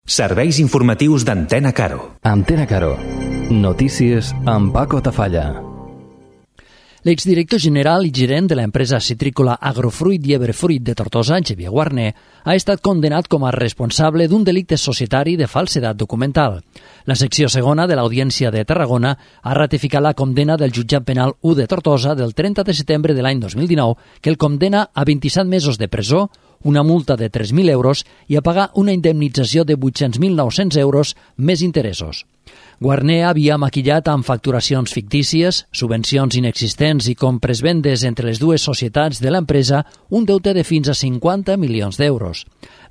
Serveis informatius d'Antena Caro. Antena Caro. Notícies amb Paco Tafalla. L'exdirector general i gerent de l'empresa citrícola Agrofruit i Ebrefruit de Tortosa, Xavier Guarner, ha estat condenat com a responsable d'un delicte societari de falsedat documental. La secció segona de l'Audiència de Tarragona ha ratificat la condemna del jutjat penal 1 de Tortosa del 30 de setembre de l'any 2019, que el condena a 27 mesos de presó, una multa de 3.000 euros i a pagar una indemnització de 800.900 euros més interessos. Guarner havia maquillat amb facturacions fictícies, subvencions inexistents i compres-vendes entre les dues societats de l'empresa un deute de fins a 50 milions d'euros.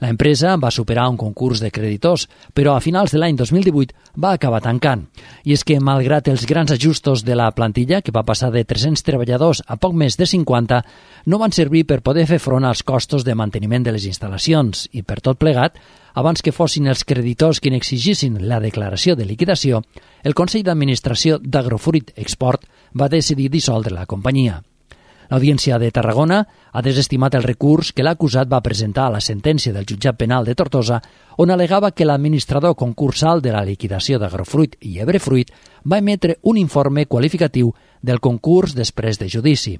La empresa va superar un concurs de creditors, però a finals de l'any 2018 va acabar tancant. I és que, malgrat els grans ajustos de la plantilla, que va passar de 300 treballadors a poc més de 50, no van servir per poder fer front als costos de manteniment de les instal·lacions i, per tot plegat, abans que fossin els creditors qui n'exigissin la declaració de liquidació, el Consell d'Administració d'Agrofruit Export va decidir dissoldre la companyia. L'Audiència de Tarragona ha desestimat el recurs que l'acusat va presentar a la sentència del jutjat penal de Tortosa, on alegava que l'administrador concursal de la liquidació d'Agrofruit i Ebrefruit va emetre un informe qualificatiu del concurs després de judici.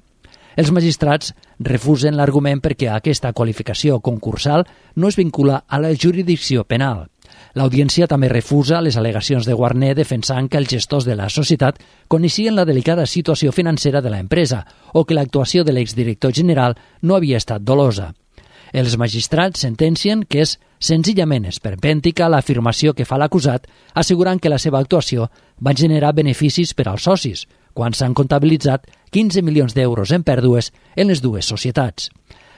Els magistrats refusen l'argument perquè aquesta qualificació concursal no es vincula a la jurisdicció penal. L'Audiència també refusa les al·legacions de Guarner defensant que els gestors de la societat coneixien la delicada situació financera de l'empresa o que l'actuació de l'exdirector general no havia estat dolosa. Els magistrats sentencien que és senzillament esperpèntica l'afirmació que fa l'acusat, assegurant que la seva actuació va generar beneficis per als socis, quan s'han comptabilitzat 15 milions d'euros en pèrdues en les dues societats.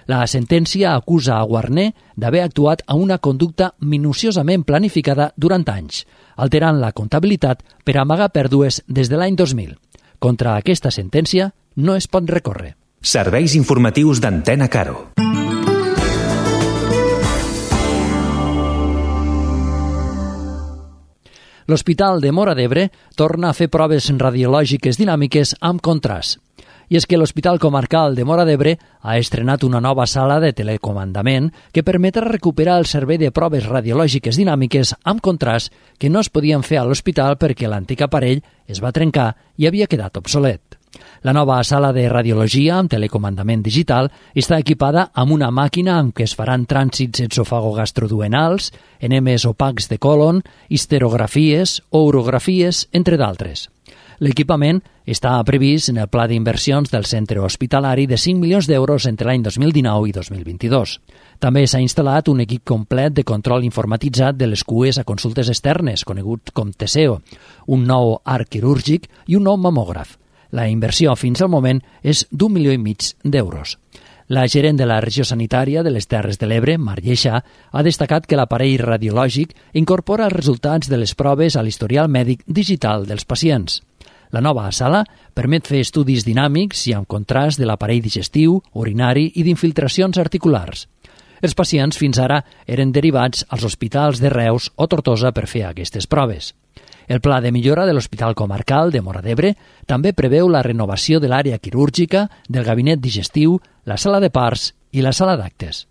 La sentència acusa a Guarner d'haver actuat amb una conducta minuciosament planificada durant anys, alterant la comptabilitat per amagar pèrdues des de l'any 2000. Contra aquesta sentència no es pot recórrer. Serveis informatius d'Antena Caro. L'Hospital de Móra d'Ebre torna a fer proves radiològiques dinàmiques amb contrast. I és que l'Hospital Comarcal de Móra d'Ebre ha estrenat una nova sala de telecomandament que permetrà recuperar el servei de proves radiològiques dinàmiques amb contrast que no es podien fer a l'hospital perquè l'antic aparell es va trencar i havia quedat obsolet. La nova sala de radiologia amb telecomandament digital està equipada amb una màquina amb què es faran trànsits esofagogastroduenals, enemes opacs de còlon, histerografies o urografies, entre d'altres. L'equipament està previst en el pla d'inversions del centre hospitalari de 5 milions d'euros entre l'any 2019 i 2022. També s'ha instal·lat un equip complet de control informatitzat de les cues a consultes externes, conegut com TSEO, un nou arc quirúrgic i un nou mamògraf. La inversió fins al moment és d'1,5 milions d'euros. La gerent de la regió sanitària de les Terres de l'Ebre, Mar Lleixà, ha destacat que l'aparell radiològic incorpora els resultats de les proves a l'historial mèdic digital dels pacients. La nova sala permet fer estudis dinàmics i amb contrast de l'aparell digestiu, urinari i d'infiltracions articulars. Els pacients fins ara eren derivats als hospitals de Reus o Tortosa per fer aquestes proves. El pla de millora de l'Hospital Comarcal de Móra d'Ebre també preveu la renovació de l'àrea quirúrgica, del gabinet digestiu, la sala de parts i la sala d'actes.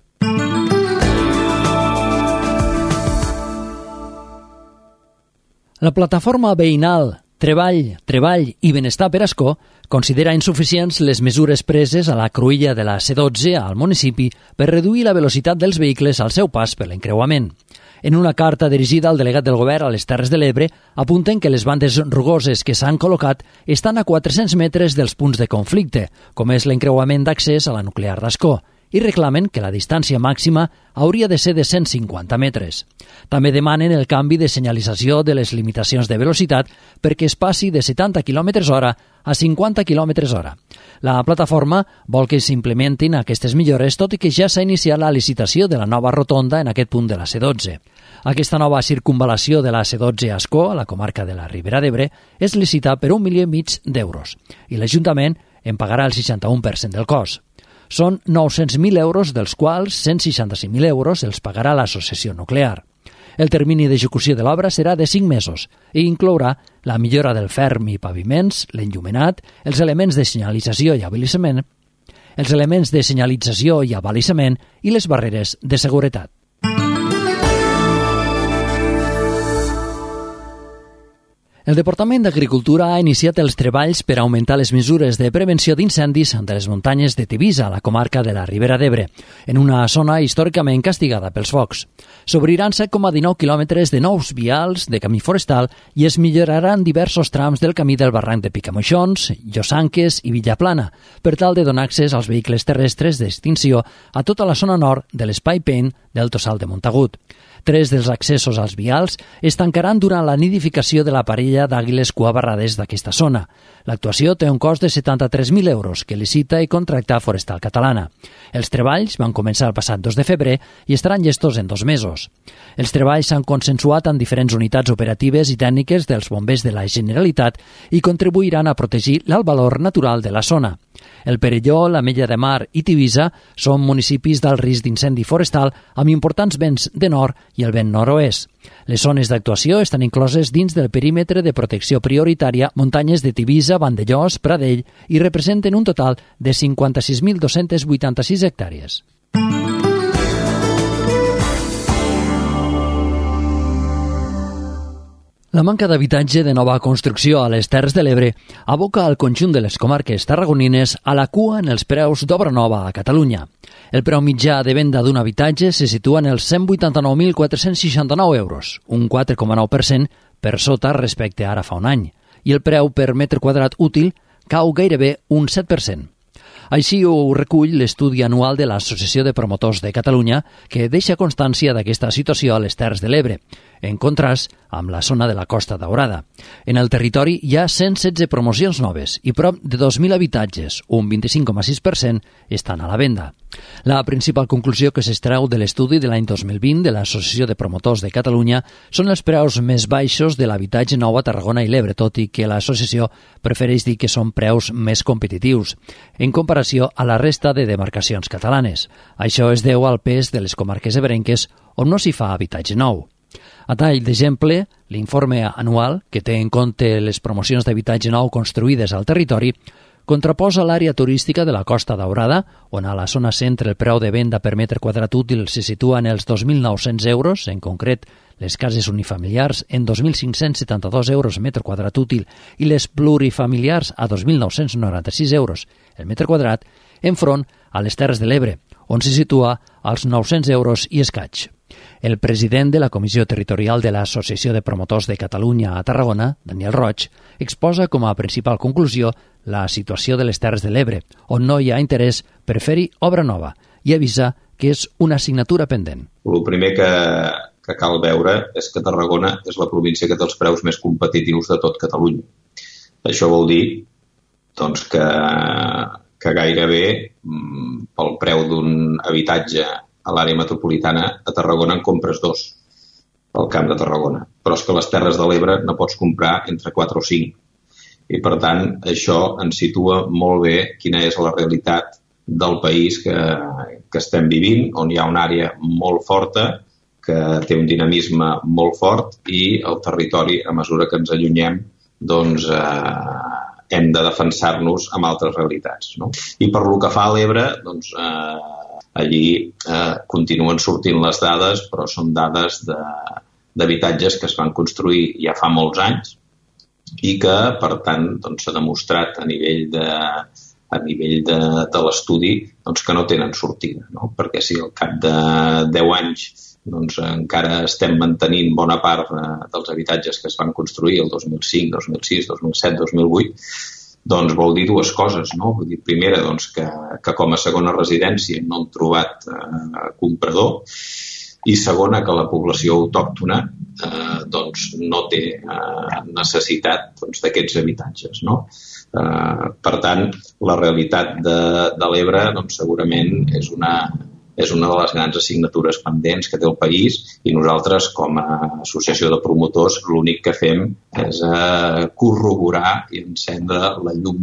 La plataforma veïnal Treball i Benestar per Ascó considera insuficients les mesures preses a la cruïlla de la C12 al municipi per reduir la velocitat dels vehicles al seu pas per l'encreuament. En una carta dirigida al delegat del govern a les Terres de l'Ebre, apunten que les bandes rugoses que s'han col·locat estan a 400 metres dels punts de conflicte, com és l'encreuament d'accés a la nuclear d'Ascó, i reclamen que la distància màxima hauria de ser de 150 metres. També demanen el canvi de senyalització de les limitacions de velocitat perquè es passi de 70 km/h a 50 km/h. La plataforma vol que s'implementin aquestes millores, tot i que ja s'ha iniciat la licitació de la nova rotonda en aquest punt de la C12. Aquesta nova circunvalació de la C12 a Ascó, a la comarca de la Ribera d'Ebre, és licita per 1,5 milions d'euros i l'Ajuntament en pagarà el 61% del cost. Són 900.000 euros, dels quals 165.000 euros els pagarà l'associació nuclear. El termini d'execució de l'obra serà de 5 mesos i inclourà la millora del ferm i paviments, l'enllumenat, els elements de senyalització i abalisament i les barreres de seguretat. El Departament d'Agricultura ha iniciat els treballs per augmentar les mesures de prevenció d'incendis de les muntanyes de Tivisa, a la comarca de la Ribera d'Ebre, en una zona històricament castigada pels focs. S'obriran 7,19 quilòmetres de nous vials de camí forestal i es milloraran diversos trams del camí del barranc de Picamoixons, Llosanques i Villaplana, per tal de donar accés als vehicles terrestres d'extinció a tota la zona nord de l'Espai Pen del Tossal de Montagut. 3 dels accessos als vials es tancaran durant la nidificació de la parella d'àguiles cuabarrades d'aquesta zona. L'actuació té un cost de 73.000 euros que licita i contracta Forestal Catalana. Els treballs van començar el passat 2 de febrer i estaran llestos en 2 mesos. Els treballs s'han consensuat amb diferents unitats operatives i tècniques dels bombers de la Generalitat i contribuiran a protegir l'alt valor natural de la zona. El Perelló, l'Ametlla de Mar i Tivisa són municipis d'alt risc d'incendi forestal amb importants vents de nord i el vent nord-oest. Les zones d'actuació estan incloses dins del perímetre de protecció prioritària muntanyes de Tivisa, Vandellòs, Pradell i representen un total de 56.286 hectàrees. La manca d'habitatge de nova construcció a les Terres de l'Ebre aboca el conjunt de les comarques tarragonines a la cua en els preus d'obra nova a Catalunya. El preu mitjà de venda d'un habitatge se situa en els 189.469 euros, un 4,9% per sota respecte a ara fa un any, i el preu per metre quadrat útil cau gairebé un 7%. Així ho recull l'estudi anual de l'Associació de Promotors de Catalunya, que deixa constància d'aquesta situació a les Terres de l'Ebre, en contrast amb la zona de la Costa Daurada. En el territori hi ha 116 promocions noves i prop de 2.000 habitatges, un 25,6%, estan a la venda. La principal conclusió que s'extreu de l'estudi de l'any 2020 de l'Associació de Promotors de Catalunya són els preus més baixos de l'habitatge nou a Tarragona i l'Ebre, tot i que l'associació prefereix dir que són preus més competitius, en comparació a la resta de demarcacions catalanes. Això es deu al pes de les comarques ebrenques on no s'hi fa habitatge nou. A tall d'exemple, l'informe anual, que té en compte les promocions d'habitatge nou construïdes al territori, contraposa l'àrea turística de la Costa Daurada, on a la zona centre el preu de venda per metre quadrat útil se situa en els 2.900 euros, en concret les cases unifamiliars en 2.572 euros metre quadrat útil i les plurifamiliars a 2.996 euros el metre quadrat, enfront a les Terres de l'Ebre, on se situa als 900 euros i escaig. El president de la Comissió Territorial de l'Associació de Promotors de Catalunya a Tarragona, Daniel Roig, exposa com a principal conclusió la situació de les Terres de l'Ebre, on no hi ha interès per fer-hi obra nova, i avisa que és una assignatura pendent. El primer que cal veure és que Tarragona és la província que té els preus més competitius de tot Catalunya. Això vol dir doncs, que gairebé pel preu d'un habitatge a l'àrea metropolitana a Tarragona en compres 2 al Camp de Tarragona. Però és que a les Terres de l'Ebre no pots comprar entre 4 o 5. I per tant, això ens situa molt bé quina és la realitat del país que estem vivint, on hi ha una àrea molt forta, que té un dinamisme molt fort i el territori, a mesura que ens allunyem, doncs hem de defensar-nos amb altres realitats. No? I per lo que fa a l'Ebre, doncs allí continuen sortint les dades, però són dades d'habitatges que es van construir ja fa molts anys i que, per tant, doncs, s'ha demostrat a nivell de l'estudi doncs, que no tenen sortida. No? Perquè si al cap de 10 anys doncs, encara estem mantenint bona part dels habitatges que es van construir el 2005, 2006, 2007, 2008, doncs vol dir dues coses, no? Vull dir, primera, doncs, que com a segona residència no han trobat comprador, i segona, que la població autòctona doncs, no té necessitat doncs, d'aquests habitatges. No? Per tant, la realitat de l'Ebre doncs, segurament és una de les grans assignatures pendents que té el país i nosaltres, com a associació de promotors, l'únic que fem és corroborar i encendre la llum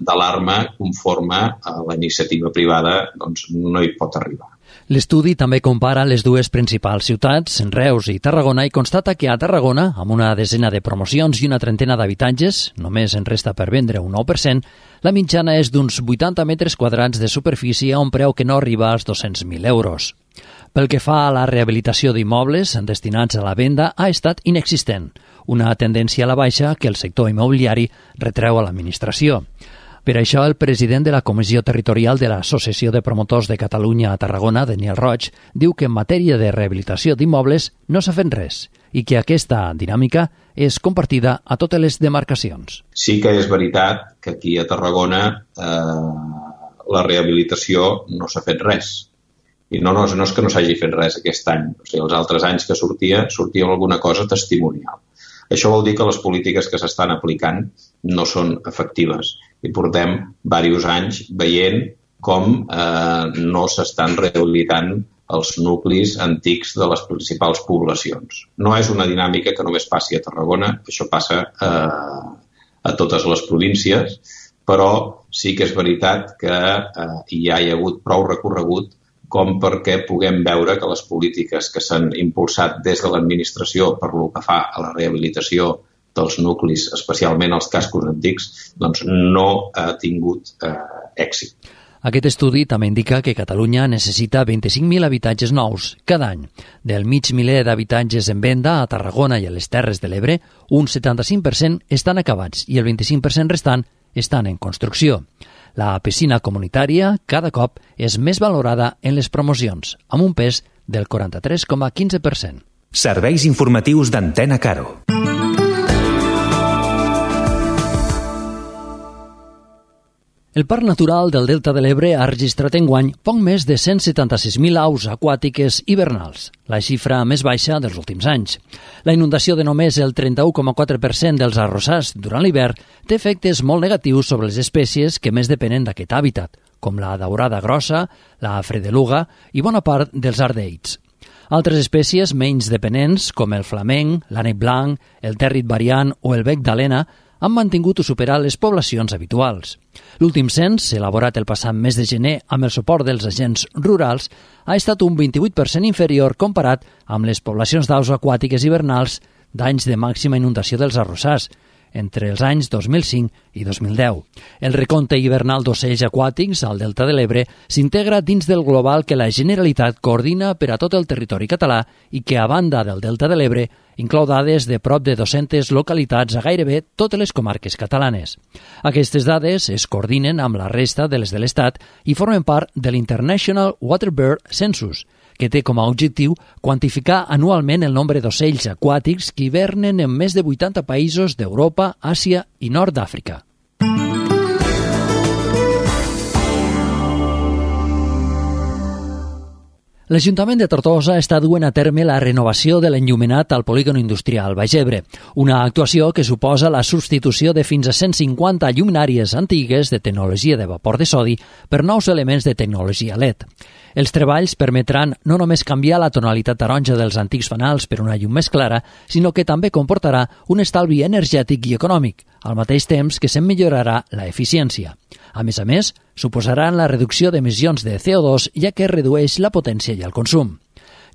d'alarma conforme a la iniciativa privada doncs, no hi pot arribar. L'estudi també compara les dues principals ciutats, Reus i Tarragona, i constata que a Tarragona, amb una desena de promocions i una trentena d'habitatges, només en resta per vendre un 9%, la mitjana és d'uns 80 metres quadrats de superfície a un preu que no arriba als 200.000 euros. Pel que fa a la rehabilitació d'immobles destinats a la venda, ha estat inexistent, una tendència a la baixa que el sector immobiliari retreu a l'administració. Per això, el president de la Comissió Territorial de l'Associació de Promotors de Catalunya a Tarragona, Daniel Roig, diu que en matèria de rehabilitació d'immobles no s'ha fet res i que aquesta dinàmica és compartida a totes les demarcacions. Sí que és veritat que aquí a Tarragona la rehabilitació no s'ha fet res. I no és que no s'hagi fet res aquest any. O sigui, els altres anys que sortia alguna cosa testimonial. Això vol dir que les polítiques que s'estan aplicant no són efectives i portem diversos anys veient com no s'estan rehabilitant els nuclis antics de les principals poblacions. No és una dinàmica que només passi a Tarragona, això passa a totes les províncies, però sí que és veritat que ja hi ha hagut prou recorregut com perquè puguem veure que les polítiques que s'han impulsat des de l'administració per lo que fa a la rehabilitació dels nuclis, especialment els cascos antics, doncs no ha tingut èxit. Aquest estudi també indica que Catalunya necessita 25.000 habitatges nous cada any. Del mig miler d'habitatges en venda a Tarragona i a les Terres de l'Ebre, un 75% estan acabats i el 25% restant estan en construcció. La piscina comunitària cada cop és més valorada en les promocions, amb un pes del 43,15%. Serveis informatius d'Antena Caro. El Parc Natural del Delta de l'Ebre ha registrat enguany poc més de 176.000 aus aquàtiques hivernals, la xifra més baixa dels últims anys. La inundació de només el 31,4% dels arrossars durant l'hivern té efectes molt negatius sobre les espècies que més depenen d'aquest hàbitat, com la daurada grossa, la fredeluga i bona part dels ardeids. Altres espècies menys dependents, com el flamenc, l'ànec blanc, el tèrrit variant o el bec d'alena, han mantingut o superat les poblacions habituals. L'últim cens, elaborat el passat mes de gener amb el suport dels agents rurals, ha estat un 28% inferior comparat amb les poblacions d'aus aquàtiques hivernals d'anys de màxima inundació dels arrossars, entre els anys 2005 i 2010. El recompte hivernal d'ocells aquàtics al Delta de l'Ebre s'integra dins del global que la Generalitat coordina per a tot el territori català i que, a banda del Delta de l'Ebre, inclou dades de prop de 200 localitats a gairebé totes les comarques catalanes. Aquestes dades es coordinen amb la resta de les de l'Estat i formen part de l'International Waterbird Census, que té com a objectiu quantificar anualment el nombre d'ocells aquàtics que hivernen en més de 80 països d'Europa, Àsia i Nord d'Àfrica. L'Ajuntament de Tortosa està duent a terme la renovació de l'enllumenat al polígon industrial Baix Ebre, una actuació que suposa la substitució de fins a 150 lluminàries antigues de tecnologia de vapor de sodi per nous elements de tecnologia LED. Els treballs permetran no només canviar la tonalitat taronja dels antics fanals per una llum més clara, sinó que també comportarà un estalvi energètic i econòmic, al mateix temps que se'n millorarà la eficiència. A més, suposaran la reducció d'emissions de CO2, ja que redueix la potència i el consum.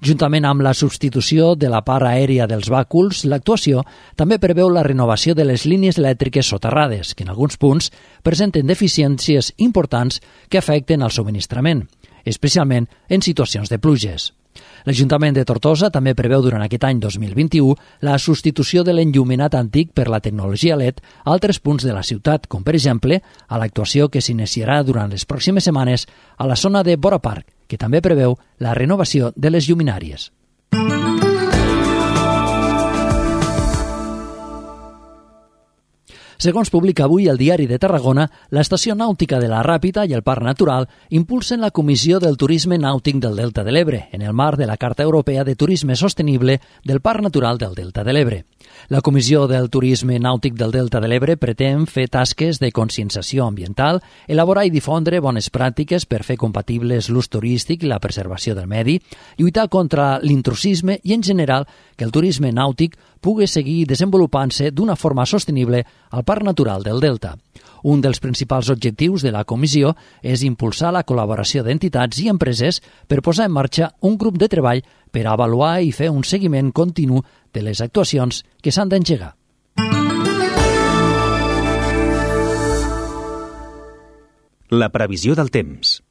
Juntament amb la substitució de la part aèria dels bàculs, l'actuació també preveu la renovació de les línies elèctriques soterrades, que en alguns punts presenten deficiències importants que afecten el subministrament, especialment en situacions de pluges. L'Ajuntament de Tortosa també preveu durant aquest any 2021 la substitució de l'enllumenat antic per la tecnologia LED a altres punts de la ciutat, com per exemple a l'actuació que s'iniciarà durant les pròximes setmanes a la zona de Bora Park, que també preveu la renovació de les lluminàries. Segons publica avui el Diari de Tarragona, l'Estació Nàutica de la Ràpita i el Parc Natural impulsen la Comissió del Turisme Nàutic del Delta de l'Ebre, en el marc de la Carta Europea de Turisme Sostenible del Parc Natural del Delta de l'Ebre. La Comissió del Turisme Nàutic del Delta de l'Ebre pretén fer tasques de conscienciació ambiental, elaborar i difondre bones pràctiques per fer compatibles l'ús turístic i la preservació del medi, lluitar contra l'intrusisme i, en general, que el turisme nàutic pugui seguir desenvolupant-se d'una forma sostenible al Parc Natural del Delta. Un dels principals objectius de la comissió és impulsar la col·laboració d'entitats i empreses per posar en marxa un grup de treball per avaluar i fer un seguiment continu de les actuacions que s'han d'engegar. La previsió del temps.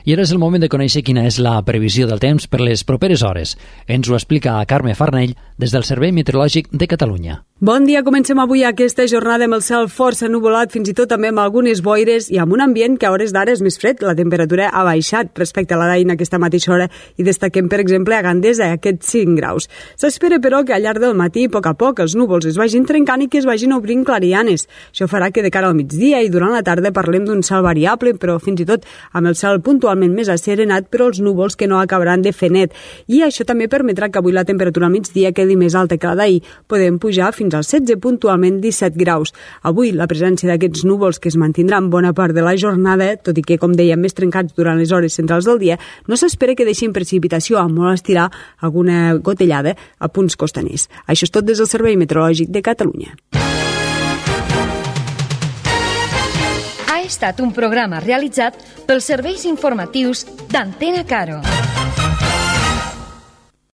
I ara és el moment de conèixer quina és la previsió del temps per les properes hores. Ens ho explica Carme Farnell des del Servei Meteorològic de Catalunya. Bon dia, comencem avui aquesta jornada amb el cel força nuvolat, fins i tot també amb algunes boires i amb un ambient que a hores d'ara és més fred. La temperatura ha baixat respecte a la d'ahir en aquesta mateixa hora i destaquem, per exemple, a Gandesa, aquests 5 graus. S'espera, però, que al llarg del matí, a poc a poc, els núvols es vagin trencant i que es vagin obrint clarianes. Això farà que de cara al migdia i durant la tarda parlem d'un cel variable, però fins i tot amb el cel puntualment més asserenat, però els núvols que no acabaran de fer net. I això també permetrà que avui la temperatura al migdia quedi més alta que la d'ahir. Podem pujar fins als 16, puntualment 17 graus. Avui la presència d'aquests núvols que es mantindran bona part de la jornada, tot i que, com dèiem, més trencats durant les hores centrals del dia, no s'espera que deixin precipitació, a molt estirar alguna gotellada a punts costaners. Això és tot des del Servei Meteorològic de Catalunya. Ha estat un programa realitzat pels serveis informatius d'Antena Caro.